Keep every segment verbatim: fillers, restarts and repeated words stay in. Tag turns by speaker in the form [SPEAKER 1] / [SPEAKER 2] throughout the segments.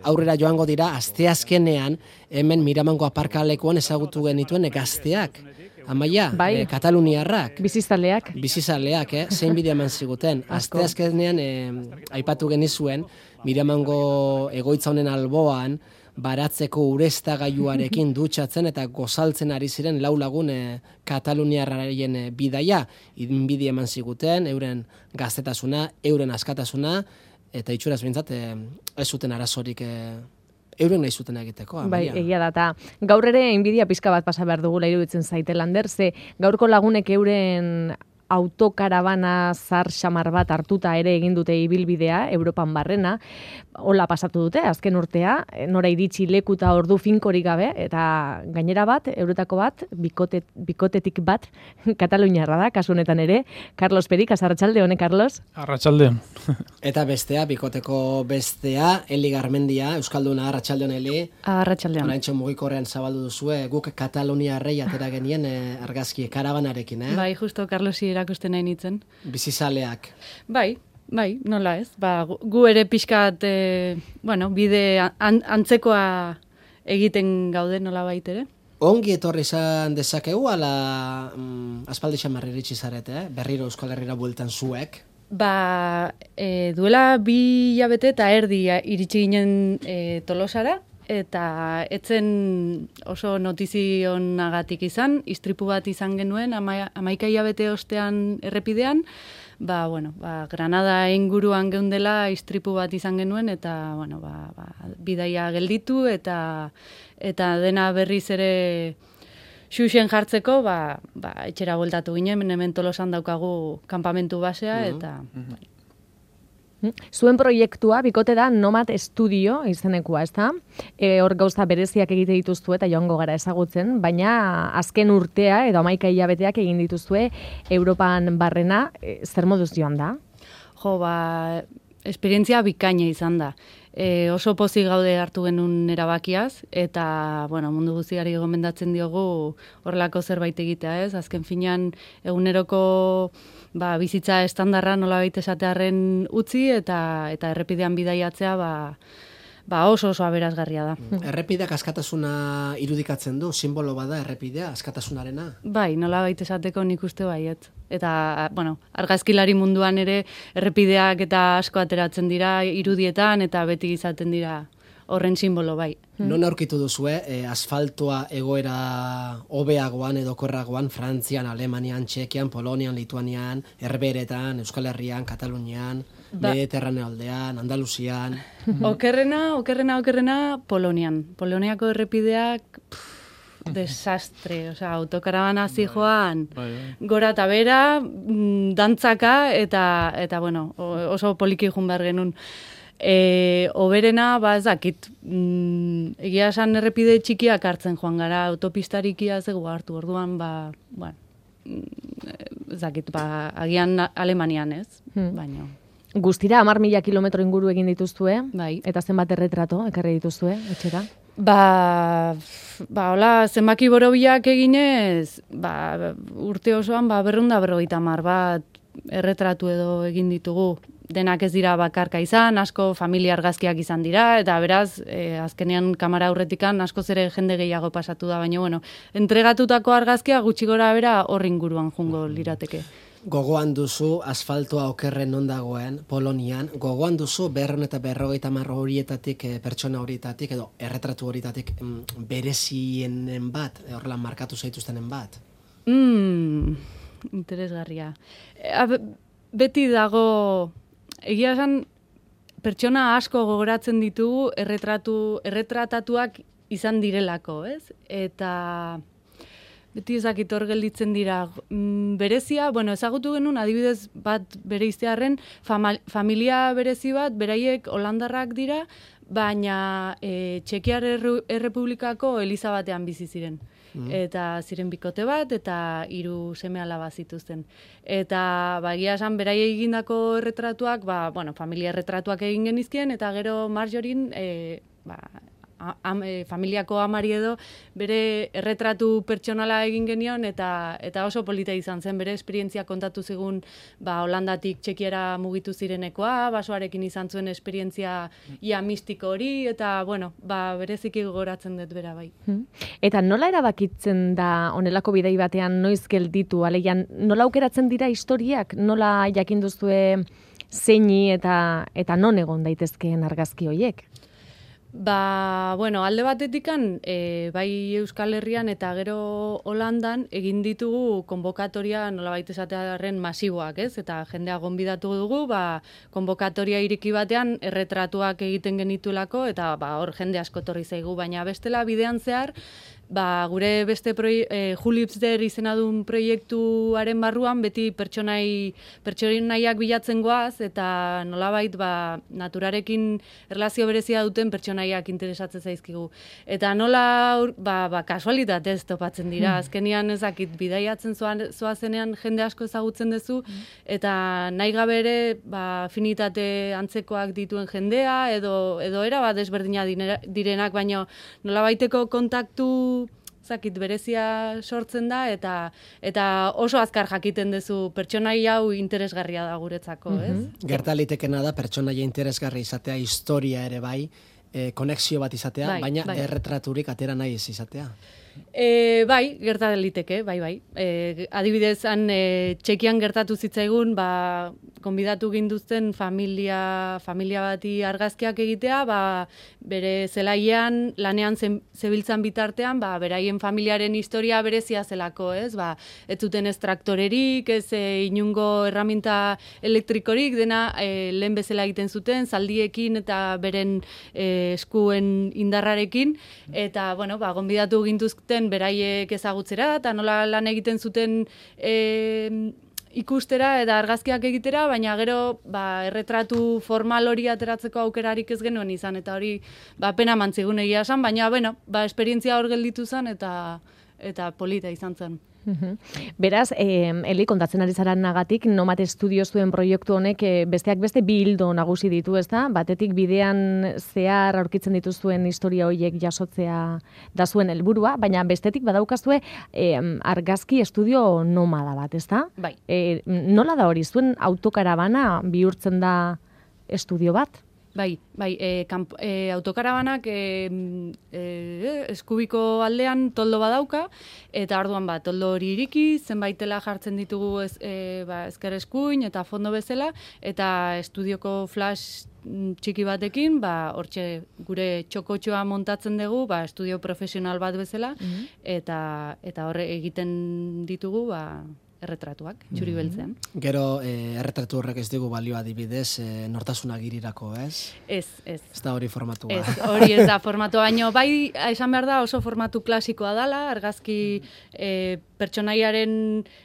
[SPEAKER 1] Aurrera joango dira, asteazkenean, hemen Miramongo aparkalekuan ezagutu genituen gazteak. Amaia,
[SPEAKER 2] bai.
[SPEAKER 1] eh, Kataluniarrak.
[SPEAKER 2] Bizizaleak.
[SPEAKER 1] Bizizaleak, eh? Zein bidea eman ziguten. Asteazkenean eh, aipatu genizuen, Miramongo egoitza honen alboan, baratzeko ureztagailuarekin dutxatzen eta gozaltzen ari ziren lau lagun eh, Kataluniarraien eh, bidaia. Inbidi eman ziguten, euren gaztetasuna, euren askatasuna, eta itxuraz bintzat, eh, ez zuten arazorik eh, euren nahi zuten egiteko.
[SPEAKER 2] Bai, egia da, eta gaur ere inbidia pizka bat pasa behar dugula iruditzen zaite, Lander, ze gaurko lagunek euren autokarabana zar xamar bat hartuta ere egin dute ibilbidea, Europan barrena, hola pasatu dute, azken urtea, nora iritsi leku eta ordu finkorik gabe, eta gainera bat, euretako bat, bikote, bikotetik bat, Kataluniarra da, kasu honetan ere, Carlos Perik, arratsalde hone, Carlos?
[SPEAKER 3] Arratsalde.
[SPEAKER 1] Eta bestea, bikoteko bestea, Eli Garmendia, Euskalduna, arratsalde hon, Eli.
[SPEAKER 2] Arratsaldean.
[SPEAKER 1] Oraintxo mugikorrean zabaldu duzue, guk Kataluniarrei atera genien eh, argazki karabanarekin, eh?
[SPEAKER 4] Bai, justo Carlosi erakusten nahi nitzen.
[SPEAKER 1] Bizizaleak.
[SPEAKER 4] Bai, bai, nola ez. Ba, gu, gu ere pixkat, e, bueno, bide an, antzekoa egiten gaude nola baitere.
[SPEAKER 1] Ongi etorri izan dezakegu, ala mm, aspaldi xamarri iritsi zarete, eh? Berriro Euskal Herrira bueltan zuek.
[SPEAKER 4] Ba, e, duela bi hilabete eta erdi iritsi ginen e, Tolosara, eta etzen oso notizionagatik izan, istripu bat izan genuen, ama, amaika hilabete ostean errepidean, ba, bueno, ba, Granada inguruan geundela istripu bat izan genuen, eta, bueno, ba, ba, bidaia gelditu, eta eta dena berriz ere xuxen jartzeko, ba, ba, etxera bueltatu ginen, hemen Tolosan daukagu kanpamentu basea, mm-hmm. eta... Mm-hmm.
[SPEAKER 2] Zuen proiektua, bikote da Nomad Studio izenekua, ez da? E, hor gauza bereziak egite dituzue eta joango gara ezagutzen, baina azken urtea edo hamaika hilabeteak egin dituzue Europan barrena, e, zer moduz joan da?
[SPEAKER 4] Jo, ba, esperientzia bikaina izan da. E, oso pozik gaude hartu genuen erabakiaz, eta bueno, mundu guztiari gomendatzen diogu horrelako zerbait egitea, ez? Azken finean eguneroko ba, bizitza estandarra nolabait esatearren utzi, eta eta errepidean bidaiatzea ba, ba oso oso aberasgarria da.
[SPEAKER 1] Errepideak askatasuna irudikatzen du, simbolo bada errepidea, askatasunarena?
[SPEAKER 4] Bai, nolabait esateko nik uste baiet. Eta, bueno, argazkilari munduan ere errepideak eta asko ateratzen dira irudietan, eta beti izaten dira horren simbolo bai.
[SPEAKER 1] Non aurkitu duzue, eh, asfaltoa egoera hobeagoan edo korragoan, Frantzian, Alemanian, Txekian, Polonian, Lituanian, Herberetan, Euskal Herrian, Katalunian, ba. Mediterraneo aldean, Andaluzian...
[SPEAKER 4] Okerrena, okerrena, okerrena, Polonian. Poloniako errepideak... Pff, desastre, osea, autokarabana zijoan gora eta bera, dantzaka, eta, eta bueno, oso poliki jun behar genuen. E, oberena, ba ez dakit, mm, egia esan errepide txikiak hartzen joan gara, autopistarikia zego hartu, orduan, ba, bueno, ez dakit, ba, agian Alemanian ez, hmm. baina...
[SPEAKER 2] Guztira, hamar mila kilometro inguru egin dituzue,
[SPEAKER 4] bai.
[SPEAKER 2] Eta zenbat erretrato ekarri dituzue, etxera?
[SPEAKER 4] Ba, ba, hola, zenbaki borobilak eginez, ba, urte osoan, ba, berrunda berrogeita hamar bat erretratu edo egin ditugu. Denak ez dira bakarka izan, asko familia argazkiak izan dira, eta beraz, eh, azkenean kamera aurretikan askoz ere jende gehiago pasatu da, baina, bueno, entregatutako argazkia gutxi gora bera horri inguruan jungo lirateke.
[SPEAKER 1] Gogoan duzu asfaltoa okerren non dagoen, Polonian, gogoan duzu berron eta berrogeita hamar horietatik, e, pertsona horietatik, edo erretratu horietatik mm, berezienen bat, horrela markatu zaituztenen bat?
[SPEAKER 4] Mm, interesgarria. E, beti dago, egia esan, pertsona asko gogoratzen ditugu erretratu, erretratatuak izan direlako, ez? Eta... beti ezakit hor gelditzen dira. Mm, berezia, bueno, ezagutu genuen adibidez bat bere iztearren, familia berezi bat, beraiek holandarrak dira, baina e, Txekiar Errepublikako Eliza batean bizi ziren. Mm. Eta ziren bikote bat, eta hiru seme alaba zituzten. Eta, ba, egia esan, beraiek egindako erretratuak, ba, bueno, familia erretratuak egin genizkien, eta gero Marjorin, e, ba, am, e, familiako amari edo, bere erretratu pertsonala egin genion, eta eta oso polita izan zen, bere esperientzia kontatu zigun, ba, Holandatik Txekiara mugitu zirenekoa, basoarekin izan zuen esperientzia ia mistiko hori, eta, bueno, ba, bereziki gogoratzen dut bera bai.
[SPEAKER 2] Eta nola erabakitzen da honelako bidei batean noiz gelditu, aleian, nola aukeratzen dira historiak, nola jakin duzue zeini eta eta non egon daitezkeen argazki horiek?
[SPEAKER 4] Ba, bueno, alde batetikan, e, bai Euskal Herrian eta gero Holandan egin ditugu konbokatoria nolabait esatearen masiboak, ez? Eta jendea gonbidatu dugu, ba, konbokatoria ireki batean erretratuak egiten genitulako, eta ba, hor jende asko torri zaigu, baina bestela bidean zehar, ba, gure beste proi, e, Julipsder izena duen proiektuaren barruan beti pertsonai pertsonaiak bilatzen goaz, eta nolabait ba, naturarekin erlazio berezia duten pertsonaiak interesatzen zaizkigu. Eta nola ba, ba, kasualitatez topatzen dira, azkenian ezakit bidaiatzen zoazenean jende asko ezagutzen duzu, eta nahi gabe ere ba, afinitate antzekoak dituen jendea, edo, edo era bat desberdina direnak, baina nolabaiteko kontaktu zakit berezia sortzen da, eta eta oso azkar jakiten duzu pertsonai hau interesgarria da guretzako, ez?
[SPEAKER 1] Mm-hmm. Gerta litekena da pertsonaia interesgarri izatea, historia ere bai, e, konexio bat izatea, bai, baina bai. Erretraturik atera nahi ez izatea.
[SPEAKER 4] E, bai, gerta liteke, bai, bai. E, adibidez, han e, Txekian gertatu zitzaigun, ba, konbidatu ginduzten familia, familia bati argazkiak egitea, ba, bere zelaian, lanean zebiltzan bitartean, ba, beraien familiaren historia berezia zelako, ez? Ba, ez zuten ez traktorerik, ez e, inungo erraminta elektrikorik, dena e, lehen bezala egiten zuten, zaldiekin eta beren e, eskuen indarrarekin, eta, bueno, ba, konbidatu ginduzten beraiek ezagutzera, eta nola lan egiten zuten e, ikustera eta argazkiak egitera, baina gero ba, erretratu formal hori ateratzeko aukerarik ez genuen izan, eta hori ba, pena mantzigun egia esan, baina bueno, ba, esperientzia hor gelditu zen, eta, eta polita izan zen.
[SPEAKER 2] Beraz, eh, Eli, kontatzen ari zara nagatik, Nomad Studio zuen proiektu honek eh, besteak beste bi hildo nagusi ditu, ezta? Batetik bidean zehar aurkitzen dituzuen historia horiek jasotzea da zuen helburua, baina bestetik badaukazue eh, argazki estudio nomada bat, ezta?
[SPEAKER 4] Bai.
[SPEAKER 2] Eh, nola da hori, zuen autokarabana bihurtzen da estudio bat?
[SPEAKER 4] Bai, bai, e, kamp, e, autokarabanak e, e, eskubiko aldean toldo badauka, eta orduan ba, toldo hori iriki, zenbaitela jartzen ditugu ez, e, ba, ezker eskuin eta fondo bezala, eta estudioko flash txiki batekin, ba, hortxe gure txokotxoa montatzen dugu, ba, estudio profesional bat bezala, mm-hmm. eta, eta horre egiten ditugu, ba, erretratuak, txuri beltzean.
[SPEAKER 1] Gero, eh, erretratu horrek ez dugu balio adibidez, eh, nortasuna girirako, ez?
[SPEAKER 4] Ez, ez.
[SPEAKER 1] Ez da hori formatua.
[SPEAKER 4] Ez, hori ez da formatua, baino bai, esan behar da oso formatu klasikoa dala, argazki eh, pertsonaiaren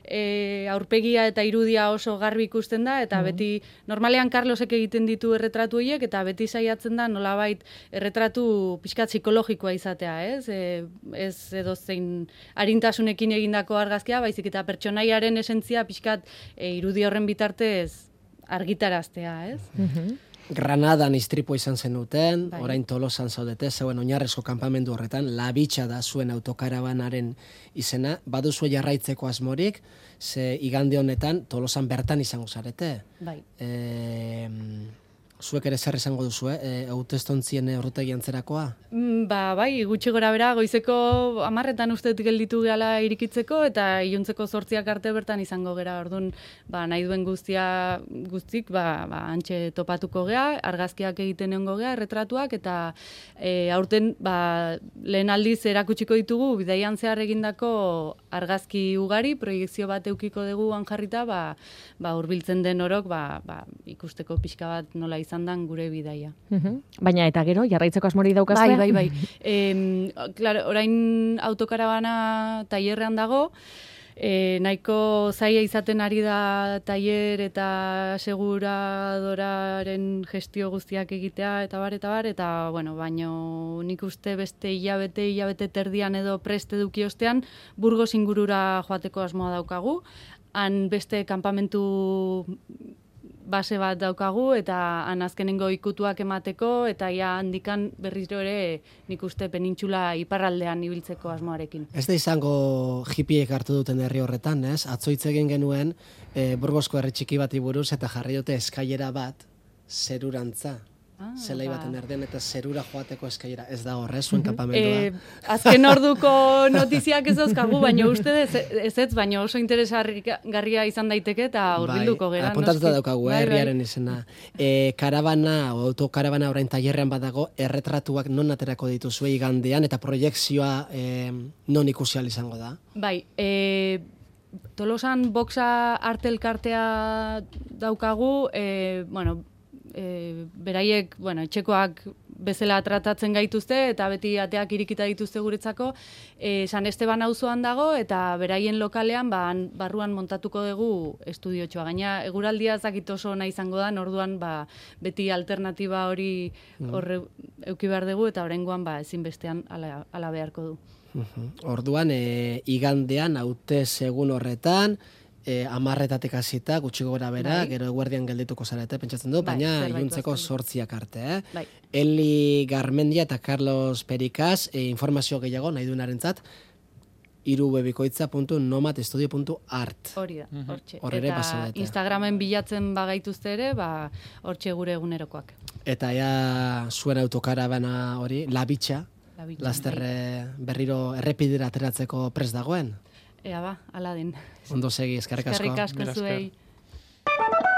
[SPEAKER 4] eh, aurpegia eta irudia oso garbi ikusten da, eta mm. beti, normalean Carlosek egiten ditu erretratu horiek, eta beti saiatzen da nolabait erretratu pixkat psikologikoa izatea, ez? E, ez edo zein arintasunekin egindako argazkia, baizik eta pertsonaiaren esentzia pixkat e, irudi horren bitartez argitaraztea, ez?
[SPEAKER 2] Mm-hmm.
[SPEAKER 1] Granadan istripo izan zenuten,
[SPEAKER 4] bai.
[SPEAKER 1] Orain Tolosan zaudete, zeuen oinarrezko kanpamendu horretan, Labitxa da zuen autokarabanaren izena, baduzu jarraitzeko asmorik, ze igande honetan Tolosan bertan izango zarete.
[SPEAKER 4] Bai.
[SPEAKER 1] E, zuek ere zer esango duzu, eh? Hautestontzien horretegi antzerakoa?
[SPEAKER 4] Mm, ba, bai, gutxi gora bera, goizeko hamarretan uste gelditu gehala irikitzeko, eta iluntzeko zortziak arte bertan izango gera, orduan, ba, nahi duen guztia guztik, ba, ba, antxe topatuko gea, argazkiak egiten egongo gea, erretratuak, eta e, aurten, ba, lehen aldiz erakutsiko ditugu, bidaian zehar egindako argazki ugari, proiekzio bat eukiko dugu jarrita, ba, ba, hurbiltzen den orok, ba, ba, ikusteko pixka bat nola izan dan gure bidaia.
[SPEAKER 2] Uh-huh. Baina eta gero, jarraitzeko asmori daukazue?
[SPEAKER 4] Bai, bai, bai. e, claro, orain autokarabana tailerrean dago, e, nahiko zaila izaten ari da tailer eta aseguradoraren gestio guztiak egitea, eta bar, eta bar, eta, bueno, baino nik uste beste hilabete, hilabete terdian edo preste eduki ostean, Burgos ingurura joateko asmoa daukagu, han beste kanpamentu base bat daukagu, eta han azkenengo ikutuak emateko, eta ja handikan berriro ere nik uste penintxula iparraldean ibiltzeko asmoarekin.
[SPEAKER 1] Ez da izango hippiek hartu duten herri horretan, ez? Atzo hitz egin genuen e, Burgosko herri txiki bati buruz, eta jarri dute eskailera bat zerurantza. Ah, zelai
[SPEAKER 4] ba.
[SPEAKER 1] baten erdian eta zerura joateko eskailera. Ez da horre, zuen kampamendua.
[SPEAKER 4] E, azken orduko notiziak ez dauzkagu, baina uste ez, ez ez, baina oso interesgarria izan daiteke eta hurbilduko
[SPEAKER 1] bai,
[SPEAKER 4] gera.
[SPEAKER 1] Apuntatuta daukagu,
[SPEAKER 4] bai,
[SPEAKER 1] herriaren izena. E, karabana, o autokarabana orain tailerrean badago, erretratuak non aterako dituzue igandean, eta proiekzioa e, non ikusi ahal izango da?
[SPEAKER 4] Bai, e, Tolosan boxa arte elkartea daukagu, e, bueno, e, beraiek, bueno, etxekoak bezala tratatzen gaituzte, eta beti ateak irikita dituzte guretzako, e, San Esteban auzoan dago, eta beraien lokalean, ba, barruan montatuko dugu estudiotxoa. Gaina, eguraldia zakit oso nahi izango da, orduan ba, beti alternatiba hori horre euki behar dugu, eta oraingoan ba, ezinbestean ala, ala beharko du.
[SPEAKER 1] Orduan, e, igandean, haute segun horretan, e, amarretatik hasita, gutxi gora bera, bai. Gero eguerdian geldituko zarete, pentsatzen du, bai, baina iluntzeko sortziak arte. Eh? Bai. Eli Garmendia eta Carlos Perikaz, e, informazio gehiago nahi duenarentzat, irubebikoitza puntu nomad estudio puntu art.
[SPEAKER 4] Hori da, hortxe.
[SPEAKER 1] Horre
[SPEAKER 4] eta
[SPEAKER 1] pasadete.
[SPEAKER 4] Instagramen bilatzen bagaituzte ere, ba, hortxe gure egunerokoak.
[SPEAKER 1] Eta ja, zuen autokarabana hori, labitxa, lasterre berriro errepidera ateratzeko prest dagoen?
[SPEAKER 4] Ea ba, ala den.
[SPEAKER 1] Ondo segi, eskerrik asko.
[SPEAKER 4] Eskerrik asko zuei.